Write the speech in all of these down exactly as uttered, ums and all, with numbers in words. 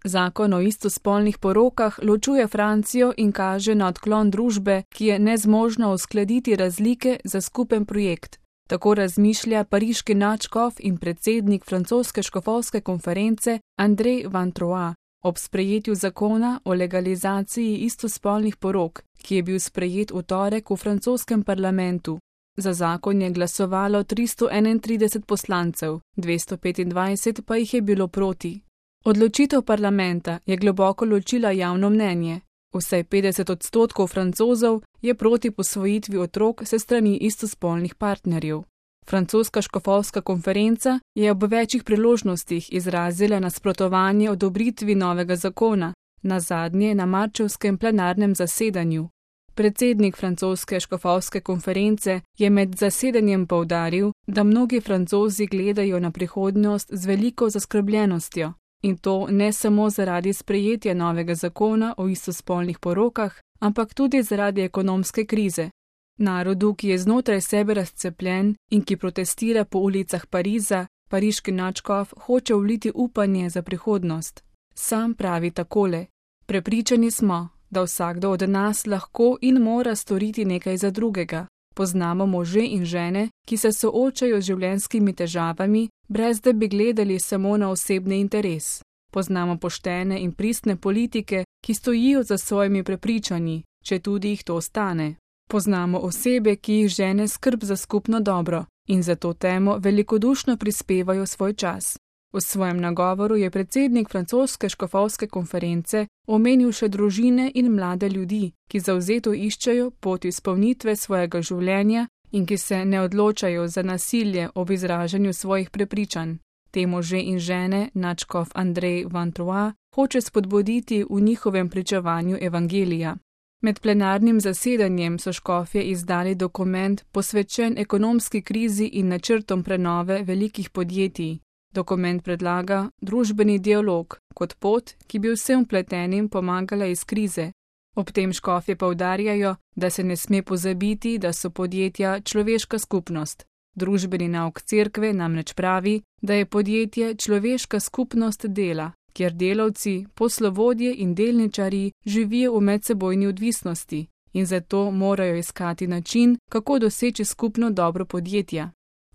Zakon o istospolnih porokah ločuje Francijo in kaže na odklon družbe, ki je nezmožna uskladiti razlike za skupen projekt. Tako razmišlja pariški nadškof in predsednik francoske škofovske konference André Van Troyes ob sprejetju zakona o legalizaciji istospolnih porok, ki je bil sprejet v torek v francoskem parlamentu. Za zakon je glasovalo tristo enaintrideset poslancev, dvesto petindvajset pa jih je bilo proti. Odločitev parlamenta je globoko ločila javno mnenje. Vsaj petdeset odstotkov Francozov je proti posvojitvi otrok se strani istospolnih partnerjev. Francoska škofovska konferenca je ob večjih priložnostih izrazila nasprotovanje odobritvi novega zakona, nazadnje na marčevskem plenarnem zasedanju. Predsednik francoske škofovske konference je med zasedanjem poudaril, da mnogi Francozi gledajo na prihodnost z veliko zaskrbljenostjo. In to ne samo zaradi sprejetja novega zakona o istospolnih porokah, ampak tudi zaradi ekonomske krize. Narodu, ki je znotraj sebe razcepljen in ki protestira po ulicah Pariza, pariški nadškof hoče vliti upanje za prihodnost. Sam pravi takole: prepričani smo, da vsakdo od nas lahko in mora storiti nekaj za drugega. Poznamo može in žene, ki se soočajo z življenjskimi težavami, brez da bi gledali samo na osebni interes. Poznamo poštene in pristne politike, ki stojijo za svojimi prepričanji, če tudi jih to stane. Poznamo osebe, ki jih žene skrb za skupno dobro in za to temo velikodušno prispevajo svoj čas. V svojem nagovoru je predsednik francoske škofovske konference omenil še družine in mlade ljudi, ki zavzeto iščejo pot izpolnitve svojega življenja in ki se ne odločajo za nasilje ob izražanju svojih prepričanj. Te može in žene nadškof André Van Troyes hoče spodbuditi v njihovem pričevanju evangelija. Med plenarnim zasedanjem so škofje izdali dokument posvečen ekonomski krizi in načrtom prenove velikih podjetij. Dokument predlaga družbeni dialog kot pot, ki bi vsem vpletenim pomagala iz krize. Ob tem škofje poudarjajo, da se ne sme pozabiti, da so podjetja človeška skupnost. Družbeni nauk cerkve namreč pravi, da je podjetje človeška skupnost dela, kjer delavci, poslovodje in delničarji živijo v medsebojni odvisnosti in zato morajo iskati način, kako doseči skupno dobro podjetja.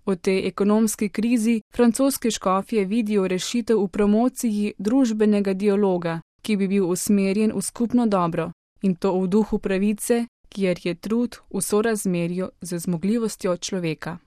V tej ekonomski krizi francoski škofje vidijo rešitev v promociji družbenega dialoga, ki bi bil usmerjen v skupno dobro, in to v duhu pravice, kjer je trud v sorazmerju z zmogljivostjo človeka.